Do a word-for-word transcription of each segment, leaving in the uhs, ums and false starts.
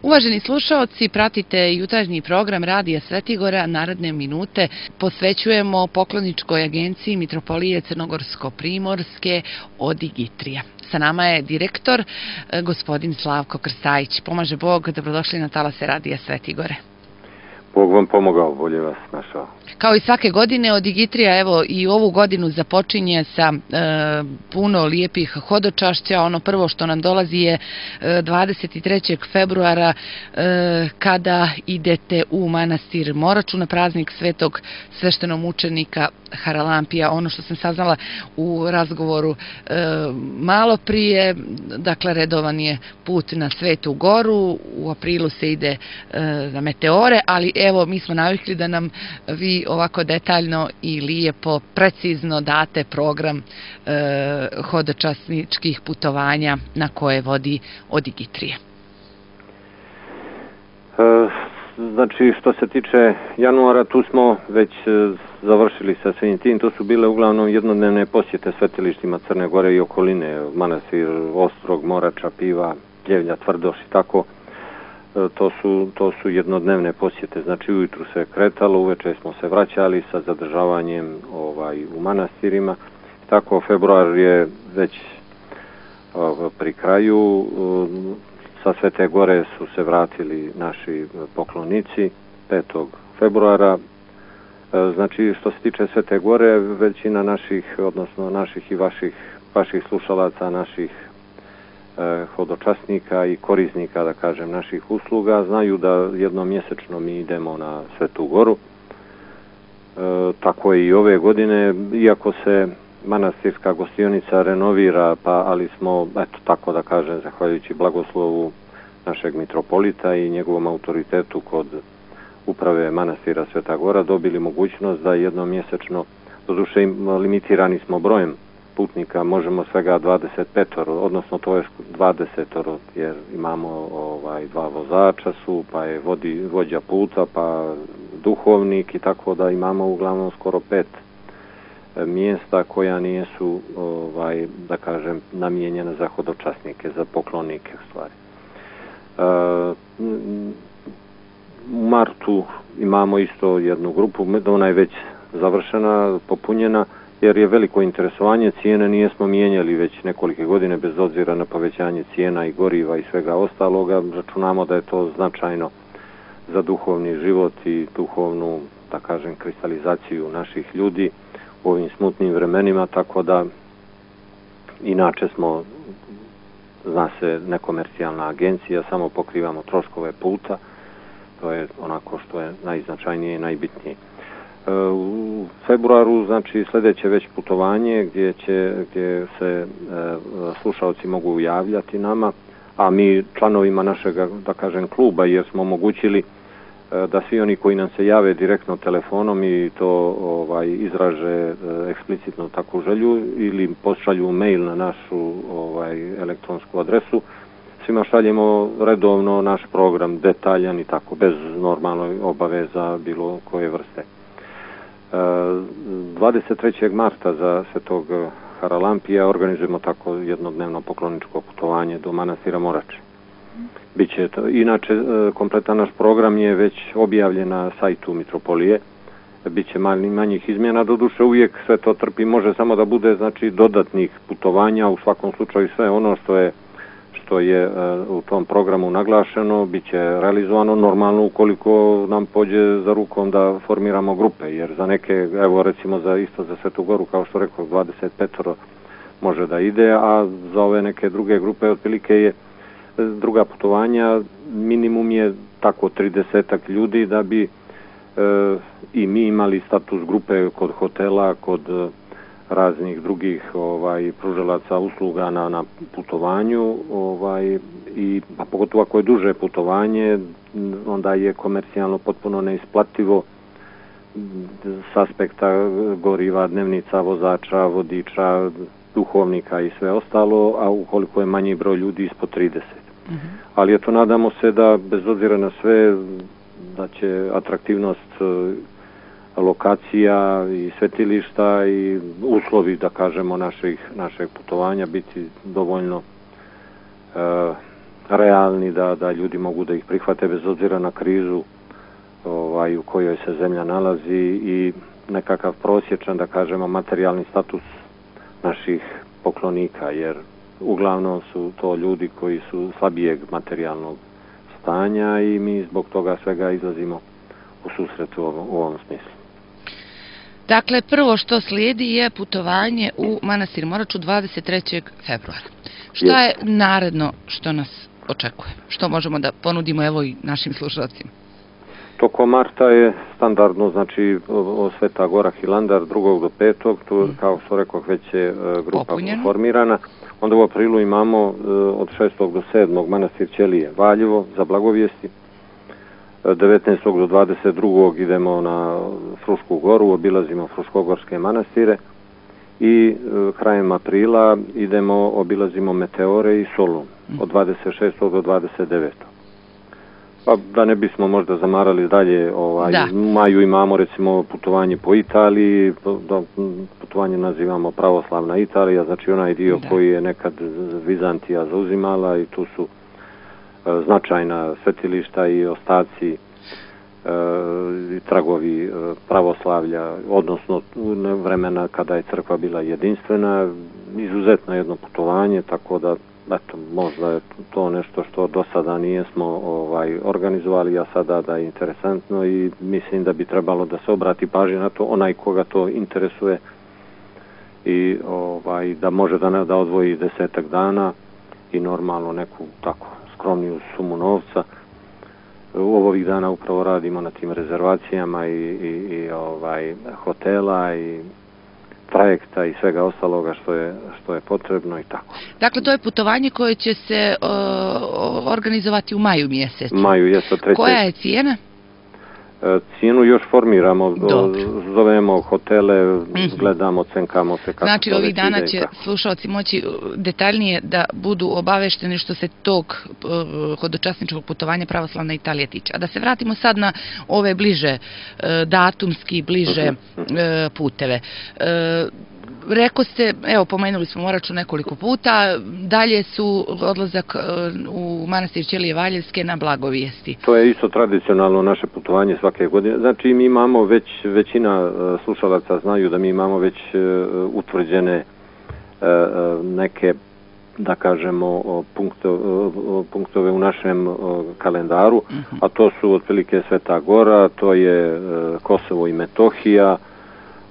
Uvaženi slušaoci, pratite jutarnji program Radija Svetigora. Naredne minute posvećujemo pokloničkoj agenciji Mitropolije Crnogorsko-Primorske Odigitrija. Sa nama je direktor, gospodin Slavko Krstajić. Pomaže Bog, dobrodošli na talase Radija Svetigore. Bog vam pomogao, bolje vas našao. Kao i svake godine, Odigitrija evo i ovu godinu započinje sa e, puno lijepih hodočašća. Ono prvo što nam dolazi je e, dvadeset trećeg februara e, kada idete u manastir Moraču na praznik svetog sveštenomučenika Haralampija. Ono što sam saznala u razgovoru e, malo prije, dakle redovan je put na Svetu Goru, u aprilu se ide e, na meteore, ali evo mi smo navikli da nam vi ovako detaljno i lijepo, precizno date program e, hodočasničkih putovanja na koje vodi Odigitrija. E, znači, što se tiče januara, tu smo već završili sa svim tim. To su bile uglavnom jednodnevne posjete svetilištima Crne Gore i okoline, manastir Ostrog, Morača, Piva, Pljevlja, Tvrdoš i tako. To su, to su jednodnevne posjete, znači ujutru se kretalo, uveče smo se vraćali sa zadržavanjem ovaj, u manastirima. Tako, februar je već ovaj, pri kraju, sa Svete Gore su se vratili naši poklonici petog februara. Znači, što se tiče Svete Gore, većina naših, odnosno naših i vaših, vaših slušalaca, naših hodočasnika i korisnika, da kažem, naših usluga, znaju da jednom mjesečno mi idemo na Svetu Goru. E, tako je i ove godine, iako se manastirska gostionica renovira, pa ali smo, eto tako da kažem, zahvaljujući blagoslovu našeg mitropolita i njegovom autoritetu kod uprave manastira Sveta Gora, dobili mogućnost da jednom mjesečno, doduše limitirani smo brojem putnika, možemo svega dvadeset pet, odnosno to je dvadeset, jer imamo ovaj, dva vozača su, pa je vodi, vođa puta, pa duhovnik i tako da imamo uglavnom skoro pet mjesta koja nisu, ovaj, da kažem, namijenjena za hodočasnike, za poklonike u stvari. U martu imamo isto jednu grupu, ona je već završena, popunjena, jer je veliko interesovanje, cijene nijesmo mijenjali već nekolike godine bez obzira na povećanje cijena i goriva i svega ostaloga. Računamo da je to značajno za duhovni život i duhovnu, da kažem, kristalizaciju naših ljudi u ovim smutnim vremenima, tako da inače smo, zna se, nekomercijalna agencija, samo pokrivamo troškove puta, to je onako što je najznačajnije i najbitnije. U februaru, znači, sljedeće već putovanje gdje će, gdje se e, slušalci mogu javljati nama, a mi članovima našeg, da kažem, kluba, jer smo omogućili e, da svi oni koji nam se jave direktno telefonom i to ovaj, izraže e, eksplicitno takvu želju ili pošalju mail na našu ovaj, elektronsku adresu, svima šaljemo redovno naš program, detaljan i tako, bez normalnoj obaveza bilo koje vrste. dvadeset trećeg marta za Svetog Haralampija organizujemo tako jednodnevno pokloničko putovanje do manastira Morače. Biće to, inače, kompletan naš program je već objavljen na sajtu Mitropolije. Biće manjih, manjih izmjena, doduše uvijek sve to trpi, može samo da bude, znači, dodatnih putovanja, u svakom slučaju sve ono što je što je u tom programu naglašeno, bit će realizovano normalno ukoliko nam pođe za rukom da formiramo grupe, jer za neke, evo recimo za isto za Svetu Goru, kao što rekao, dvadeset pet može da ide, a za ove neke druge grupe otprilike je druga putovanja, minimum je tako tridesetak ljudi da bi e, i mi imali status grupe kod hotela, kod raznih drugih ovaj pružalaca usluga na, na putovanju, ovaj i a pogotovo ako je duže putovanje, onda je komercijalno potpuno neisplativo s aspekta goriva, dnevnica, vozača, vodiča, duhovnika i sve ostalo, a ukoliko je manji broj ljudi ispod trideset. Mm-hmm. Ali eto, nadamo se da bez obzira na sve da će atraktivnost lokacija i svetilišta i uslovi, da kažemo, naših, našeg putovanja biti dovoljno e, realni, da, da ljudi mogu da ih prihvate bez obzira na krizu ovaj, u kojoj se zemlja nalazi i nekakav prosječan, da kažemo, materijalni status naših poklonika, jer uglavnom su to ljudi koji su slabijeg materijalnog stanja i mi zbog toga svega izlazimo u susret u ovom, u ovom smislu. Dakle, prvo što slijedi je putovanje u manastir Moraču dvadeset trećeg februara. Šta je naredno što nas očekuje? Što možemo da ponudimo evo i našim slušalcima? Tokom marta je standardno, znači Sveta Gora Hilandar drugog do petog, tu kao što rekao već je grupa Popunjeno. formirana. Onda u aprilu imamo od šestog do sedmog manastir Ćelije Valjevo za blagovijesti. devetnaestog do dvadeset drugog idemo na Frušku goru, obilazimo Fruškogorske manastire i krajem aprila idemo, obilazimo Meteore i Solun od dvadeset šestog do dvadeset devetog Pa da ne bismo možda zamarali dalje, ovaj, u maju imamo recimo putovanje po Italiji, da, putovanje nazivamo Pravoslavna Italija, znači onaj dio da. koji je nekad Vizantija zauzimala i tu su e, značajna svetilišta i ostaci e, i tragovi e, pravoslavlja, odnosno vremena kada je crkva bila jedinstvena, izuzetno jedno putovanje, tako da eto, možda je to nešto što do sada nijesmo ovaj, organizovali, a sada da je interesantno i mislim da bi trebalo da se obrati pažnja na to, onaj koga to interesuje i ovaj, da može da, ne, da odvoji desetak dana i normalno neku tako skromniju sumu novca. U ovih dana upravo radimo na tim rezervacijama i, i, i ovaj, hotela i trajekta i svega ostaloga što je, što je potrebno i tako. Dakle, to je putovanje koje će se uh, organizovati u maju mjesecu. Maju, jesu treće. Koja je cijena? E, cijenu još formiramo, Dobre. zovemo hotele, mm-hmm. gledamo, cenkamo se kako znači, ovih dana će kako. slušalci moći detaljnije da budu obavešteni što se tog uh, hodočasničkog putovanja Pravoslavna Italija tiče. A da se vratimo sad na ove bliže uh, datumski, bliže mm-hmm. uh, puteve. Uh, Rekao ste, evo, pomenuli smo Moraču nekoliko puta, dalje su odlazak u manastir Ćelije Valjevske na blagovijesti. To je isto tradicionalno naše putovanje svake godine. Znači, mi imamo već, većina slušalaca znaju da mi imamo već utvrđene neke, da kažemo, punktove u našem kalendaru, uh-huh. a to su otprilike Sveta Gora, to je Kosovo i Metohija.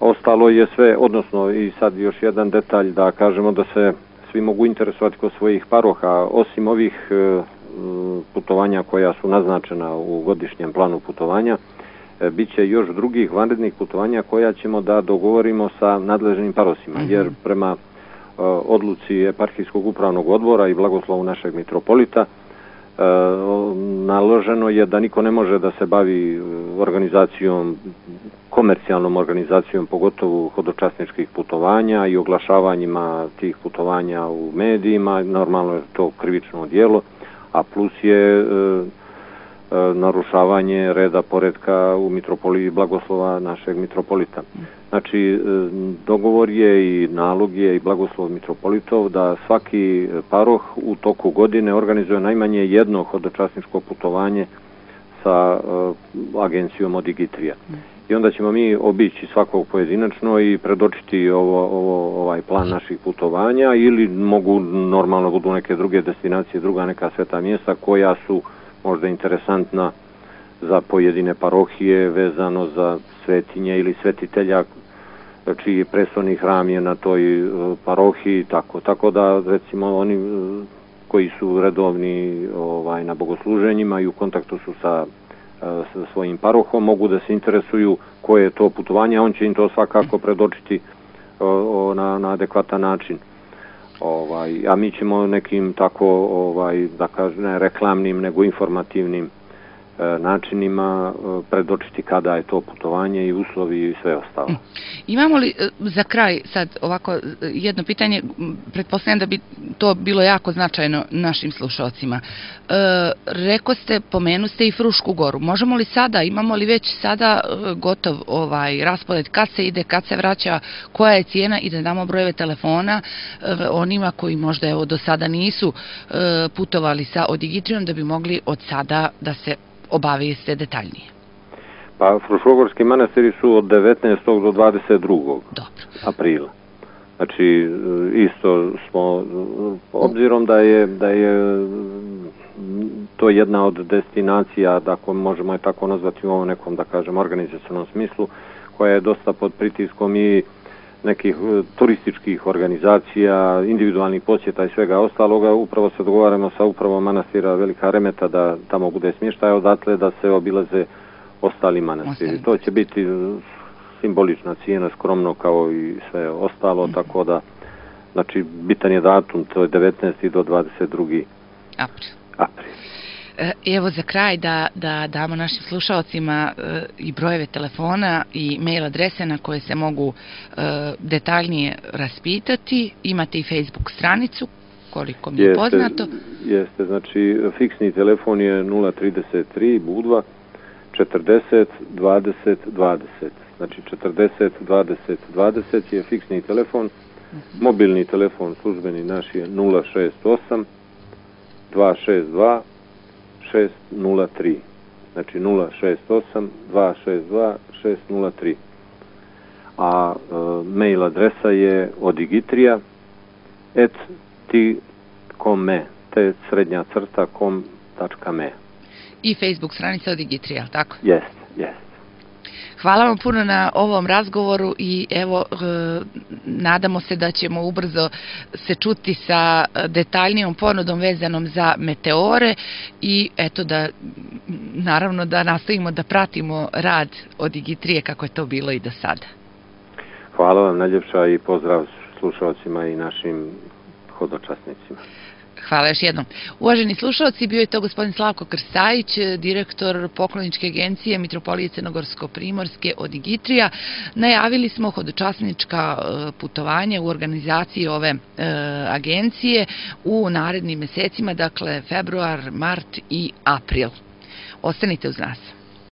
Ostalo je sve, odnosno i sad još jedan detalj da kažemo da se svi mogu interesovati kod svojih paroha, osim ovih e, putovanja koja su naznačena u godišnjem planu putovanja, e, bit će još drugih vanrednih putovanja koja ćemo da dogovorimo sa nadležnim parosima, mm-hmm. jer prema e, odluci eparhijskog upravnog odbora i blagoslovu našeg mitropolita E, naloženo je da niko ne može da se bavi organizacijom, komercijalnom organizacijom, pogotovo hodočasničkih putovanja i oglašavanjima tih putovanja u medijima, normalno je to krivično djelo, a plus je e, e, narušavanje reda poretka u mitropoliji blagoslova našeg mitropolita. Znači, dogovor je i nalog je i blagoslov mitropolitov da svaki paroh u toku godine organizuje najmanje jedno hodočasničko putovanje sa uh, agencijom Odigitrija. I onda ćemo mi obići svakog pojedinačno i predočiti ovo, ovo, ovaj plan naših putovanja ili mogu normalno budu neke druge destinacije, druga neka sveta mjesta koja su možda interesantna za pojedine parohije vezano za svetinje ili svetitelja čiji prestorni hram je na toj parohiji, tako. Tako da, recimo, oni koji su redovni ovaj, na bogosluženjima i u kontaktu su sa, sa svojim parohom, mogu da se interesuju koje je to putovanje, a on će im to svakako predočiti o, o, na, na adekvatan način. Ovaj, a mi ćemo nekim tako, ovaj, da kažem, ne reklamnim, nego informativnim načinima, predočiti kada je to putovanje i uslovi i sve ostalo. Imamo li za kraj sad ovako jedno pitanje, pretpostavljam da bi to bilo jako značajno našim slušalcima. Reko ste, pomenu ste i Frušku goru. Možemo li sada, imamo li već sada gotov ovaj raspored kad se ide, kad se vraća, koja je cijena i da damo brojeve telefona onima koji možda evo do sada nisu putovali sa Odigitrijom da bi mogli od sada da se obavijeste detaljnije. Pa Fruškogorski manastiri su od devetnaestog do dvadeset drugog aprila. Znači, isto smo, obzirom da je, da je to jedna od destinacija, da možemo je tako nazvati u ovom nekom, da kažem, organizacionom smislu, koja je dosta pod pritiskom i nekih turističkih organizacija, individualnih posjeta i svega ostaloga, upravo se dogovaramo sa upravom manastira Velika Remeta da tamo bude smještaj, odatle da se obilaze ostali manastiri. To će biti simbolična cijena, skromno kao i sve ostalo, tako da, znači, bitan je datum, to je devetnaesti do dvadeset drugi april. april. Evo za kraj da, da damo našim slušalcima i brojeve telefona i mail adrese na koje se mogu detaljnije raspitati. Imate i Facebook stranicu, koliko mi je poznato. Jeste, znači fiksni telefon je nula trideset tri Budva četrdeset dvadeset dvadeset. Znači četrdeset dvadeset dvadeset je fiksni telefon. Mobilni telefon službeni naš je nula šest osam dva šest dva šest nula tri. Znači nula šest osam dva šest dva šest nula tri. A e, mail adresa je odigitrija et ti kom me, te srednja crta kom tačka me. I Facebook stranica Odigitrija, tako? Jest, jest. Hvala vam puno na ovom razgovoru i evo, nadamo se da ćemo ubrzo se čuti sa detaljnijom ponudom vezanom za meteore i eto da, naravno da nastavimo da pratimo rad Odigitrije kako je to bilo i do sada. Hvala vam najljepša i pozdrav slušalcima i našim hodočasnicima. Hvala još jednom. Uvaženi slušalci, bio je to gospodin Slavko Krstajić, direktor pokloničke agencije Mitropolije Crnogorsko-Primorske Odigitrija. Najavili smo hodočasnička putovanja u organizaciji ove agencije u narednim mesecima, dakle februar, mart i april. Ostanite uz nas.